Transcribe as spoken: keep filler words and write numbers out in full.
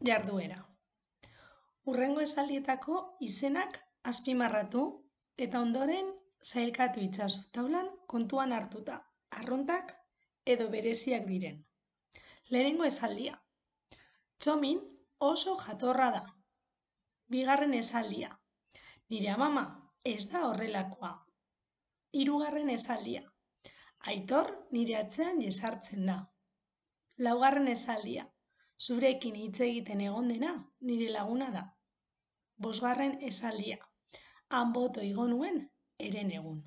Jarduera. Hurrengo esaldietako izenak azpimarratu eta ondoren sailkatu itzazu taulan kontuan hartuta, arruntak edo bereziak diren. Lehenengo esaldia. Txomin oso jatorra da. Bigarren esaldia. Nire amama ez da horrelakoa. Hirugarren esaldia. Aitor nire atzean jesartzen da. Laugarren esaldia. Zurekin hitz egiten egon dena nire laguna da. Bosgarren esaldia. Han boto igo nuen eren egun.